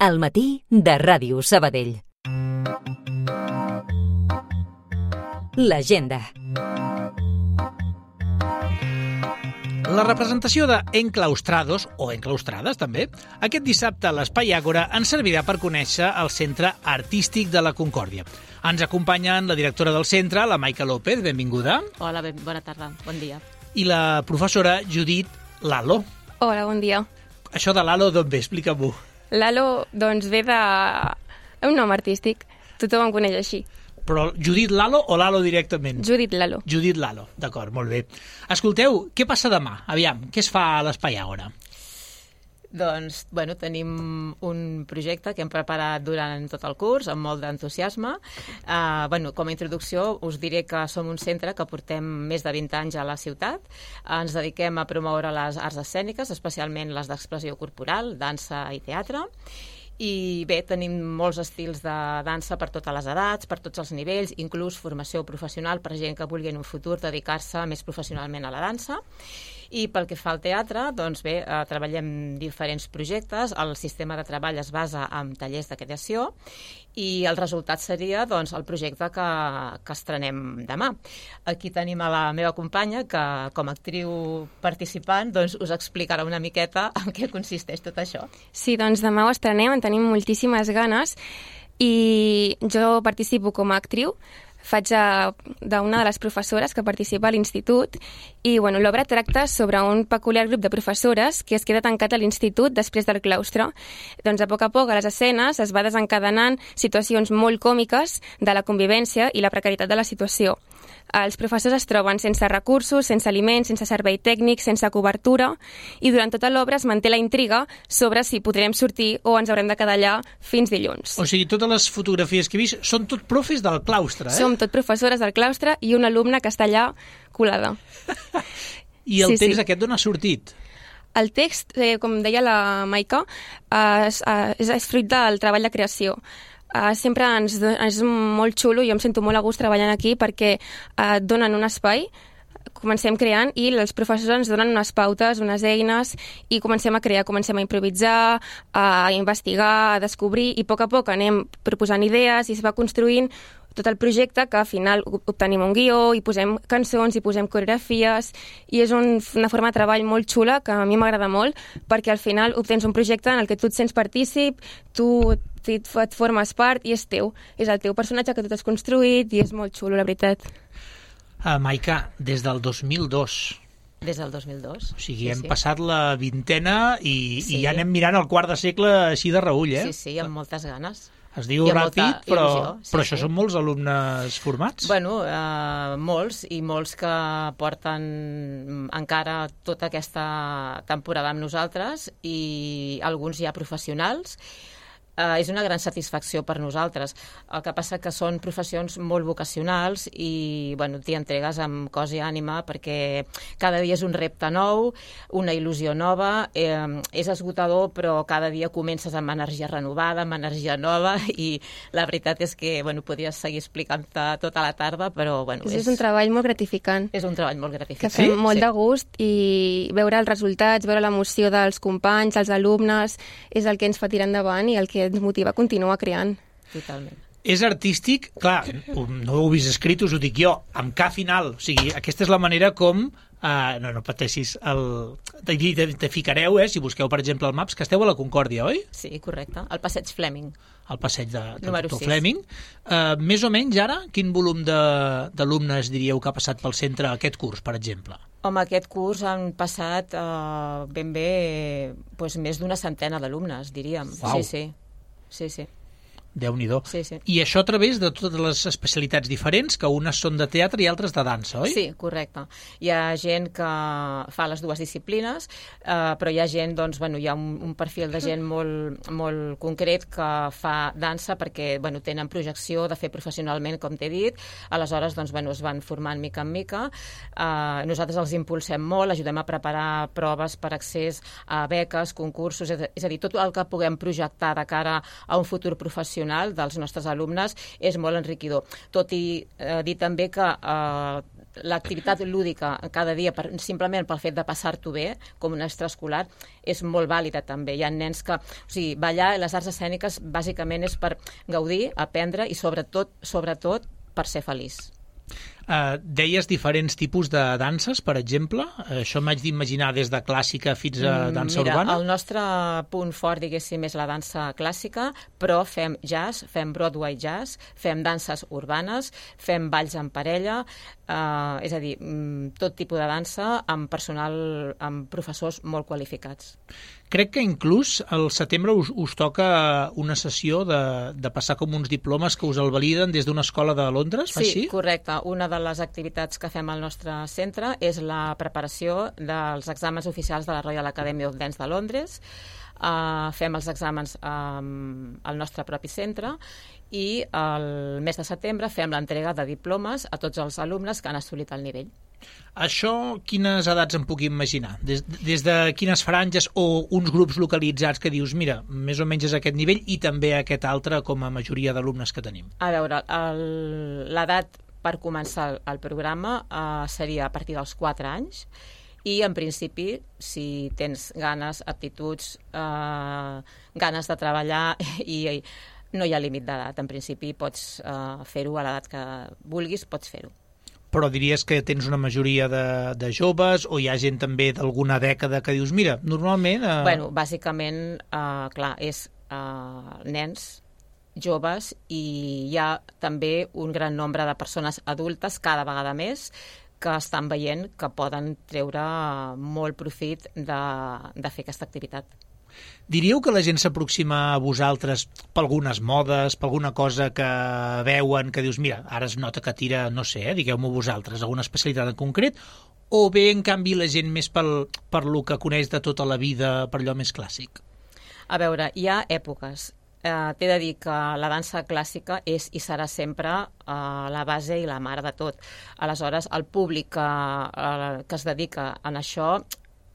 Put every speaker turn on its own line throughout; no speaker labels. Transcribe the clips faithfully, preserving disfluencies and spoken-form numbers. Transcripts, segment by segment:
Al matí de Ràdio Sabadell. L'agenda.
La representació de Enclaustrados, o Enclaustrades també, aquest dissabte a l'Espai Àgora ens servirà per conèixer el Centre Artístic de la Concòrdia. Ens acompanyen la directora del centre, la Maica López, benvinguda.
Hola, ben, bona tarda, bon dia.
I la professora Judit Lalo.
Hola, bon dia.
Això de Lalo d'on ve? Explica-m'ho.
Lalo, doncs, ve de... un nom artístic. Tothom em coneix així.
Però Judit Lalo o Lalo directament?
Judit Lalo.
Judit Lalo, d'acord, molt bé. Escolteu, què passa demà? Aviam, què es fa a l'Espai Àgora?
Doncs, bueno, tenim un projecte que hem preparat durant tot el curs, amb molt d'entusiasme. Uh, bueno, com a introducció us diré que som un centre que portem més de vint anys a la ciutat. Uh, ens dediquem a promoure les arts escèniques, especialment les d'expressió corporal, dansa i teatre. I bé, tenim molts estils de dansa per totes les edats, per tots els nivells, inclús formació professional per gent que vulgui en un futur dedicar-se més professionalment a la dansa. I pel que fa al teatre, doncs bé, eh, treballem diferents projectes, el sistema de treball es basa en tallers de creació i el resultat seria doncs, el projecte que, que estrenem demà. Aquí tenim a la meva companya que com a actriu participant doncs, us explicarà una miqueta en què consisteix tot això.
Sí, doncs demà ho estrenem, en tenim moltíssimes ganes i jo participo com a actriu. Faig d'una de les professores que participa a l'institut i bueno, l'obra tracta sobre un peculiar grup de professores que es queda tancat a l'institut després del claustre. Doncs a poc a poc a les escenes es va desencadenant situacions molt còmiques de la convivència i la precarietat de la situació. Els professors es troben sense recursos, sense aliments, sense servei tècnic, sense cobertura i durant tota l'obra es manté la intriga sobre si podrem sortir o ens haurem de quedar allà fins dilluns.
O sigui, totes les fotografies que he vist són tot profes del claustre, eh?
Som tot professores del claustre i una alumna que està allà colada.
I el
sí,
text
sí.
aquest d'on ha sortit?
El text, eh, com deia la Maica, eh, és, és, és fruit del treball de creació. Uh, sempre ens és molt xulo, jo em sento molt a gust treballant aquí perquè uh, donen un espai, comencem creant i els professors ens donen unes pautes, unes eines i comencem a crear, comencem a improvisar, a investigar, a descobrir i a poc a poc anem proposant idees i es va construint tot el projecte que al final obtenim un guió i posem cançons i posem coreografies i és un, una forma de treball molt xula que a mi m'agrada molt perquè al final obtens un projecte en el que tu et sents partícip, tu et formes part i és teu. És el teu personatge que tu t'has construït i és molt xulo, la veritat.
Uh, Maica, des del dos mil dos.
Des del dos mil dos.
O sigui,
sí,
hem
sí.
passat la vintena i,
sí.
i ja anem mirant el quart de segle així de reull, eh?
Sí, sí, amb moltes ganes.
Es diu ràpid, però,
il·lusió, sí,
però això
sí.
són molts alumnes formats?
Bueno, eh, molts, i molts que porten encara tota aquesta temporada amb nosaltres i alguns ja professionals. Uh, és una gran satisfacció per nosaltres. El que passa que són professions molt vocacionals i bueno, t'hi entregues amb cos i ànima perquè cada dia és un repte nou, una il·lusió nova, eh, és esgotador però cada dia comences amb energia renovada, amb energia nova i la veritat és que bueno, podries seguir explicant-te tota la tarda però bueno,
és, és un treball molt gratificant.
És un treball molt gratificant.
Que fem
sí?
molt
sí.
de gust i veure els resultats, veure l'emoció dels companys, els alumnes, és el que ens fa tirar endavant i el que ens motiva a continuar creant.
Totalment.
És artístic, clar, no ho heu vist escrit, us ho dic jo, amb K final. O sigui, aquesta és la manera com... Uh, no, no pateixis. El... Te, te ficareu, eh, si busqueu, per exemple, el Maps, que esteu a la Concòrdia, oi?
Sí, correcte. El passeig Fleming.
El passeig de, de
Número
doctor
sis.
Fleming. Uh, més o menys, ara, quin volum d'alumnes diríeu que ha passat pel centre aquest curs, per exemple?
Home, aquest curs han passat uh, ben bé pues, més d'una centena d'alumnes, diríem.
Uau.
Sí, sí. Sí, sí.
Déu-n'hi-do.
Sí, sí.
I això a través de totes les especialitats diferents, que unes són de teatre i altres de dansa, oi?
Sí, correcte. Hi ha gent que fa les dues disciplines, eh, però hi ha gent, doncs, bueno, hi ha un, un perfil de gent molt, molt concret que fa dansa perquè, bueno, tenen projecció de fer professionalment, com t'he dit, aleshores, doncs, bueno, es van formant mica en mica. Eh, nosaltres els impulsem molt, ajudem a preparar proves per accés a beques, concursos, és a dir, tot el que puguem projectar de cara a un futur professional dels nostres alumnes és molt enriquidor. Tot i eh, dir també que eh, l'activitat lúdica cada dia, per, simplement pel fet de passar-t'ho bé, com un extraescolar, és molt vàlida també. Hi ha nens que... O sigui, ballar i les arts escèniques bàsicament és per gaudir, aprendre i sobretot, sobretot per ser feliç.
Uh, deies diferents tipus de danses, per exemple. Uh, això m'haig d'imaginar des de clàssica fins a dansa
Mira,
urbana.
El nostre punt fort, diguéssim, és la dansa clàssica, però fem jazz, fem Broadway jazz, fem danses urbanes, fem balls en parella, uh, és a dir, tot tipus de dansa amb personal, amb professors molt qualificats.
Crec que inclús al setembre us, us toca una sessió de, de passar com uns diplomes que us el validen des d'una escola de Londres, fa
sí,
així?
Sí, correcte. Una de les activitats que fem al nostre centre és la preparació dels exàmens oficials de la Royal Academy of Dance de Londres. Uh, fem els exàmens um, al nostre propi centre i el mes de setembre fem l'entrega de diplomes a tots els alumnes que han assolit el nivell.
Això, quines edats em puc imaginar? Des, des de quines franges o uns grups localitzats que dius, mira, més o menys és aquest nivell i també aquest altre com a majoria d'alumnes que tenim?
A veure, l'edat per començar el, el programa uh, seria a partir dels quatre anys i, en principi, si tens ganes, aptituds, uh, ganes de treballar i, i no hi ha límit d'edat. En principi, pots uh, fer-ho a l'edat que vulguis, pots fer-ho.
Però diries que tens una majoria de, de joves o hi ha gent també d'alguna dècada que dius, mira, normalment... Eh...
Bueno, bàsicament, uh, clar, és uh, nens, joves i hi ha també un gran nombre de persones adultes, cada vegada més, que estan veient que poden treure molt profit de, de fer aquesta activitat.
Diríeu que la gent s'aproxima a vosaltres per algunes modes, per alguna cosa que veuen, que dius, mira, ara es nota que tira, no sé, eh, digueu-m'ho vosaltres, alguna especialitat en concret, o bé, en canvi, la gent més pel, per lo que coneix de tota la vida, per allò més clàssic?
A veure, hi ha èpoques. Eh, T'he de dir que la dansa clàssica és i serà sempre eh, la base i la mare de tot. Aleshores, el públic que, eh, que es dedica a això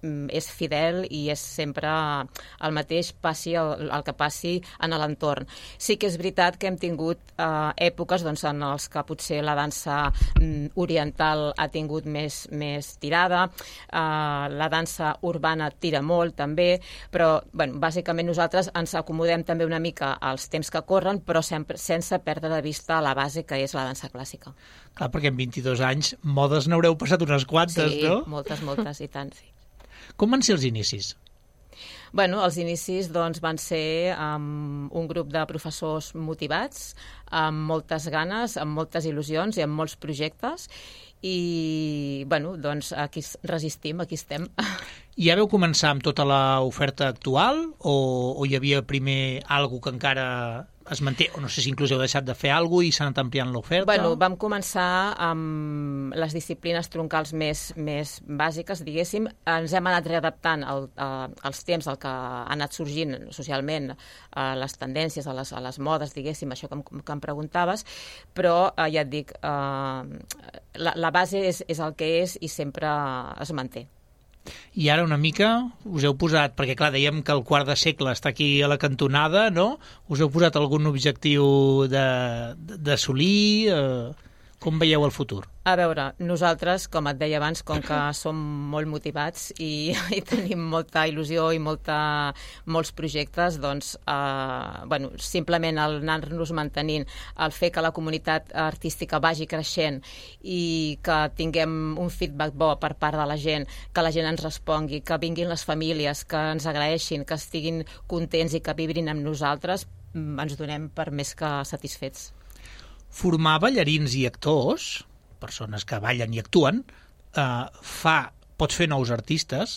és fidel i és sempre el mateix, passi el, el que passi en l'entorn. Sí que és veritat que hem tingut eh, èpoques doncs, en els que potser la dansa mm, oriental ha tingut més, més tirada, eh, la dansa urbana tira molt també, però bueno, bàsicament nosaltres ens acomodem també una mica als temps que corren, però sempre, sense perdre de vista la base que és la dansa clàssica.
Clar, perquè en vint-i-dos anys modes n'haureu passat unes quantes,
sí,
no?
Sí, moltes, moltes, i tant, sí.
Com van ser els inicis?
Bueno, els inicis doncs, van ser amb un grup de professors motivats, amb moltes ganes, amb moltes il·lusions i amb molts projectes i bueno, doncs aquí resistim, aquí estem.
I ja vau començar amb tota l'oferta actual o, o hi havia primer alguna que encara es manté, o no sé si inclús heu deixat de fer alguna cosa i s'ha anat ampliant l'oferta?
Bueno, vam començar amb les disciplines troncals més, més bàsiques, diguéssim. Ens hem anat readaptant al, a, als temps del que ha anat sorgint socialment, a les tendències, a les, a les modes, diguéssim, això que em, que em preguntaves, però eh, ja et dic, eh, la, la base és, és el que és i sempre es manté.
I ara una mica us heu posat, perquè clar, dèiem que el quart de segle està aquí a la cantonada, no? Us heu posat algun objectiu d'assolir? Eh, com veieu el futur?
A veure, nosaltres, com et deia abans, com que som molt motivats i, i tenim molta il·lusió i molta, molts projectes, doncs, eh, bueno, simplement el anar-nos mantenint, el fer que la comunitat artística vagi creixent i que tinguem un feedback bo per part de la gent, que la gent ens respongui, que vinguin les famílies, que ens agraeixin, que estiguin contents i que vibrin amb nosaltres, ens donem per més que satisfets.
Formar ballarins i actors, persones que ballen i actuen, eh, fa, pot fer nous artistes,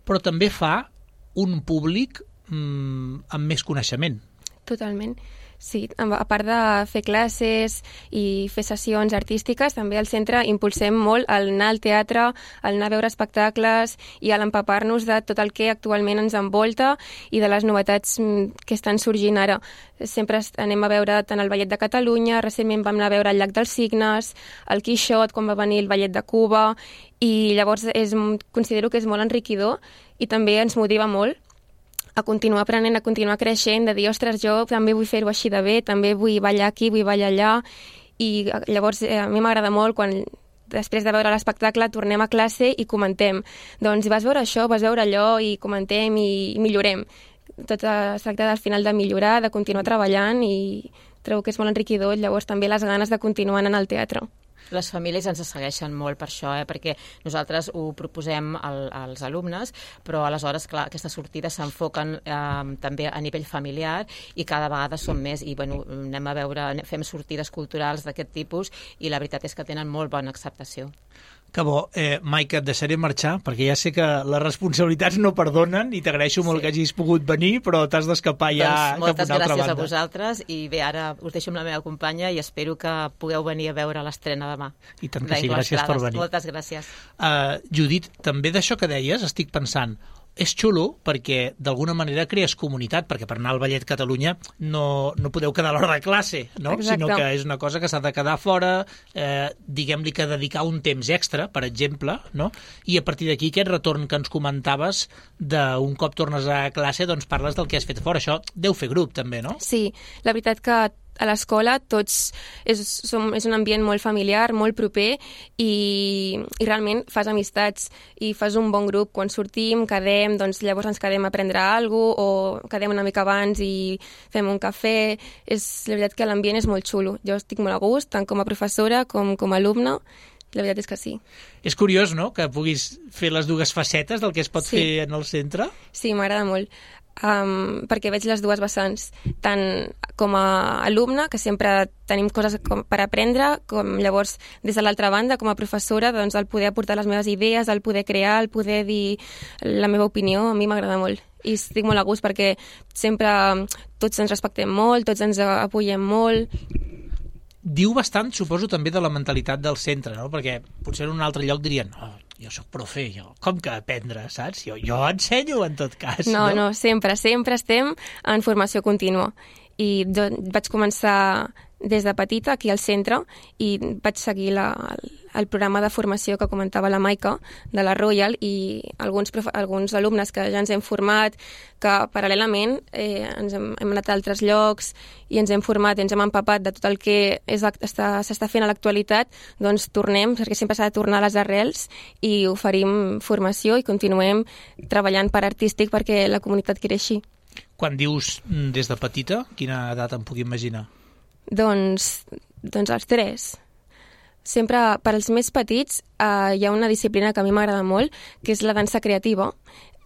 però també fa un públic mm, amb més coneixement.
Totalment. Sí, a part de fer classes i fer sessions artístiques, també al centre impulsem molt el anar al teatre, el anar a veure espectacles i l'empapar-nos de tot el que actualment ens envolta i de les novetats que estan sorgint ara. Sempre anem a veure tant el Ballet de Catalunya, recentment vam anar a veure el Llac dels Cignes, el Quixot, quan va venir el Ballet de Cuba, i llavors és, considero que és molt enriquidor i també ens motiva molt a continuar aprenent, a continuar creixent, de dir, ostres, jo també vull fer-ho així de bé, també vull ballar aquí, vull ballar allà, i llavors eh, a mi m'agrada molt quan després de veure l'espectacle tornem a classe i comentem. Doncs vas veure això, vas veure allò i comentem i, i millorem. Tot es tracta al final de millorar, de continuar treballant i trobo que és molt enriquidor, llavors també les ganes de continuar anant al teatre.
Les famílies ens segueixen molt per això, eh? Perquè nosaltres ho proposem al, als alumnes, però aleshores, clar, aquestes sortides s'enfoquen eh, també a nivell familiar i cada vegada són més i bueno, anem a veure, fem sortides culturals d'aquest tipus i la veritat és que tenen molt bona acceptació.
Que bo. Eh, Maica, et deixaré marxar, perquè ja sé que les responsabilitats no perdonen i t'agraeixo molt sí. que hagis pogut venir, però t'has d'escapar ja
doncs,
cap a una altra banda.
Moltes gràcies a vosaltres i bé, ara us deixo amb la meva companya i espero que pugueu venir a veure l'estrena demà.
I tant que sí, gràcies per venir.
Moltes gràcies.
Uh, Judit, també d'això que deies estic pensant, és xulo perquè d'alguna manera crees comunitat, perquè per anar al Ballet Catalunya no, no podeu quedar a l'hora de classe, no? Sinó que és una cosa que s'ha de quedar fora, eh, diguem-li que dedicar un temps extra, per exemple, no? I a partir d'aquí aquest retorn que ens comentaves d'un cop tornes a classe, doncs parles del que has fet fora. Això deu fer grup també, no?
Sí, la veritat que a l'escola tots és, som, és un ambient molt familiar, molt proper i, i realment fas amistats i fas un bon grup. Quan sortim, quedem, doncs llavors ens quedem a prendre alguna cosa o quedem una mica abans i fem un cafè. És, la veritat que l'ambient és molt xulo. Jo estic molt a gust, tant com a professora com com a alumna. La veritat és que sí.
És curiós, no?, que puguis fer les dues facetes del que es pot sí. fer en el centre.
Sí, m'agrada molt. Um, perquè veig les dues vessants, tant com a alumne, que sempre tenim coses com per aprendre, com llavors des de l'altra banda, com a professora, doncs el poder aportar les meves idees, el poder crear, el poder dir la meva opinió, a mi m'agrada molt. I estic molt a gust perquè sempre tots ens respectem molt, tots ens apoyem molt.
Diu bastant, suposo, també de la mentalitat del centre, no? Perquè potser en un altre lloc dirien oh, jo soc profe, jo, com que aprendre, saps? Jo, jo ensenyo en tot cas.
No,
no,
no, sempre, sempre estem en formació contínua. I vaig començar des de petita aquí al centre i vaig seguir la, el programa de formació que comentava la Maica de la Royal i alguns, alguns alumnes que ja ens hem format, que paral·lelament eh, ens hem, hem anat a altres llocs i ens hem format, ens hem empapat de tot el que s'està fent a l'actualitat, doncs tornem, perquè sempre s'ha de tornar a les arrels i oferim formació i continuem treballant per artístic perquè la comunitat creixi.
Quan dius des de petita, quina edat em puc imaginar?
Doncs, doncs els tres. Sempre, per als més petits, eh, hi ha una disciplina que a mi m'agrada molt, que és la dansa creativa,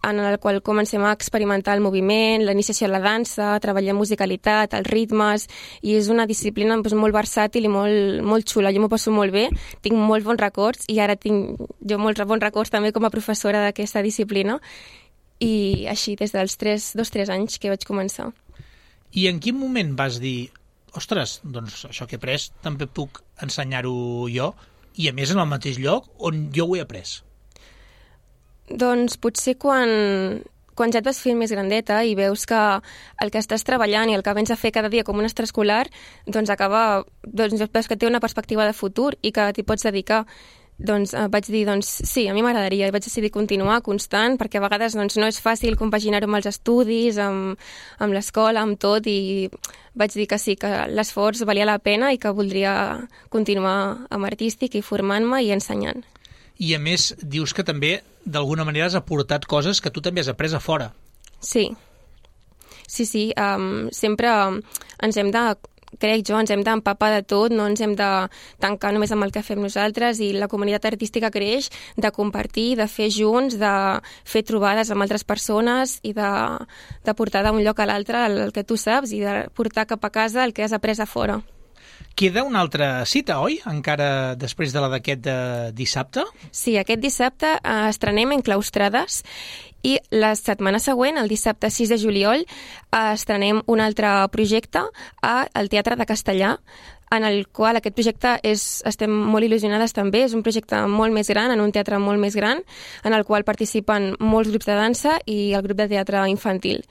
en la qual comencem a experimentar el moviment, la iniciació a la dansa, treballem musicalitat, els ritmes, i és una disciplina doncs, molt versàtil i molt, molt xula. Jo m'ho passo molt bé, tinc molts bons records, i ara tinc jo molts bons records també com a professora d'aquesta disciplina, i així, des dels tres, dos tres anys que vaig començar.
I en quin moment vas dir ostres, doncs això que he après també puc ensenyar-ho jo i a més en el mateix lloc on jo ho he après?
Doncs potser quan, quan ja et vas fer més grandeta i veus que el que estàs treballant i el que vens a fer cada dia com un extraescolar, doncs acaba, doncs veus que té una perspectiva de futur i que t'hi pots dedicar. Doncs eh, vaig dir, doncs sí, a mi m'agradaria i vaig decidir continuar constant perquè a vegades doncs, no és fàcil compaginar-ho amb els estudis, amb, amb l'escola, amb tot i vaig dir que sí, que l'esforç valia la pena i que voldria continuar amb artístic i formant-me i ensenyant.
I a més dius que també d'alguna manera has aportat coses que tu també has après a fora.
Sí, sí, sí, um, sempre ens hem de crec jo, ens hem d'empapar de tot, no ens hem de tancar només amb el que fem nosaltres i la comunitat artística creix de compartir, de fer junts, de fer trobades amb altres persones i de, de portar d'un lloc a l'altre el que tu saps i de portar cap a casa el que has après a fora.
Queda una altra cita, oi? Encara després de la d'aquest eh, dissabte?
Sí, aquest dissabte eh, estrenem Enclaustrades i la setmana següent, el dissabte sis de juliol, eh, estrenem un altre projecte al Teatre de Castellà, en el qual aquest projecte és, estem molt il·lusionades també, és un projecte molt més gran, en un teatre molt més gran, en el qual participen molts grups de dansa i el grup de teatre infantil.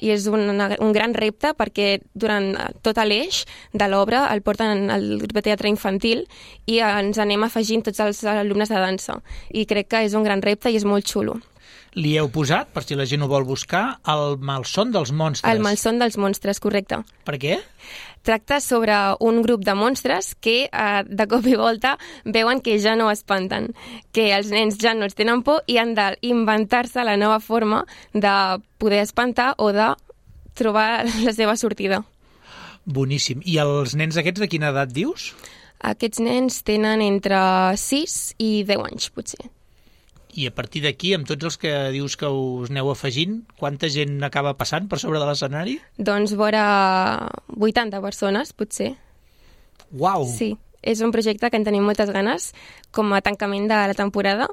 I és un, un gran repte perquè durant tot l'eix de l'obra el porten al grup de teatre infantil i ens anem afegint tots els alumnes de dansa. I crec que és un gran repte i és molt xulo.
Li heu posat, per si la gent ho vol buscar, el malson dels monstres.
El malson dels monstres, correcte.
Per què?
Tracta sobre un grup de monstres que eh, de cop i volta veuen que ja no espanten, que els nens ja no els tenen por i han d'inventar-se la nova forma de poder espantar o de trobar la seva sortida.
Boníssim. I els nens aquests de quina edat dius?
Aquests nens tenen entre sis i deu anys, potser.
I a partir d'aquí, amb tots els que dius que us aneu afegint, quanta gent acaba passant per sobre de l'escenari?
Doncs vora vuitanta persones, potser.
Uau!
Sí, és un projecte que en tenim moltes ganes com a tancament de la temporada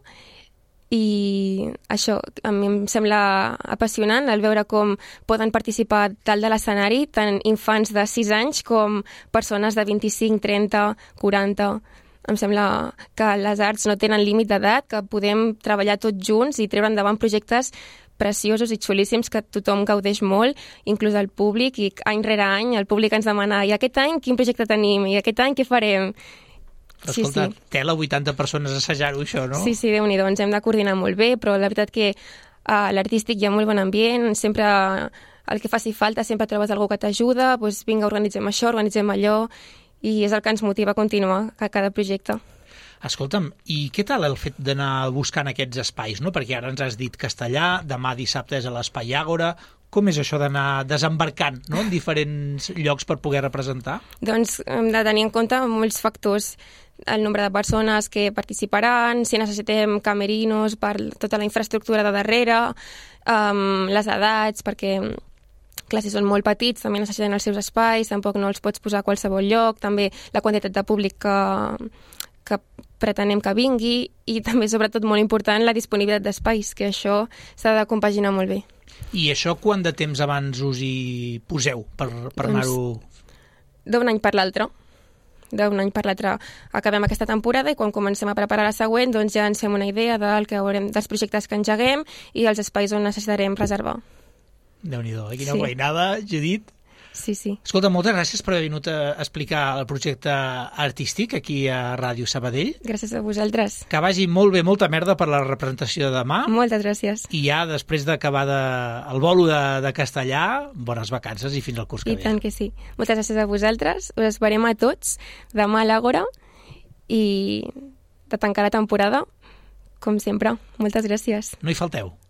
i això a mi em sembla apassionant el veure com poden participar dalt de l'escenari tant infants de sis anys com persones de vint-i-cinc, trenta, quaranta... Em sembla que les arts no tenen límit d'edat, que podem treballar tots junts i treure endavant projectes preciosos i xulíssims que tothom gaudeix molt, inclús el públic, i any rere any el públic ens demana i aquest any quin projecte tenim, i aquest any què farem?
Però escolta, sí, sí. Tela vuitanta persones a assajar-ho, això, no?
Sí, sí, Déu-n'hi-do, ens hem de coordinar molt bé, però la veritat que a l'artístic hi ha molt bon ambient, sempre el que faci falta, sempre trobes algú que t'ajuda, doncs vinga, organitzem això, organitzem allò, i és el que ens motiva a continuar a cada projecte.
Escolta'm, i què tal el fet d'anar buscant aquests espais, no? Perquè ara ens has dit Castellà, demà dissabte és a l'Espai Àgora. Com és això d'anar desembarcant, no?, en diferents llocs per poder representar? Doncs
hem de tenir en compte molts factors. El nombre de persones que participaran, si necessitem camerinos per tota la infraestructura de darrere, um, les edats, perquè clar, si són molt petits, també necessiten els seus espais, tampoc no els pots posar a qualsevol lloc, també la quantitat de públic que, que pretenem que vingui i també, sobretot, molt important, la disponibilitat d'espais, que això s'ha de compaginar molt bé.
I això quant de temps abans us hi poseu per, per doncs, anar-ho...
D'un any per l'altre. D'un any per l'altre acabem aquesta temporada i quan comencem a preparar la següent doncs ja ens fem una idea del que haurem, dels projectes que engeguem i els espais on necessitarem reservar.
Déu-n'hi-do, eh? Quina sí. Feinada, Judit.
Sí, sí.
Escolta, moltes gràcies per haver vingut a explicar el projecte artístic aquí a Ràdio Sabadell.
Gràcies a vosaltres.
Que vagi molt bé, molta merda per la representació de demà.
Moltes gràcies.
I ja, després d'acabar de, el bolo de, de castellà, bones vacances i fins al curs que
I
ve.
I tant que sí. Moltes gràcies a vosaltres. Us esperem a tots demà a l'Àgora i de tancar la temporada, com sempre. Moltes gràcies.
No hi falteu.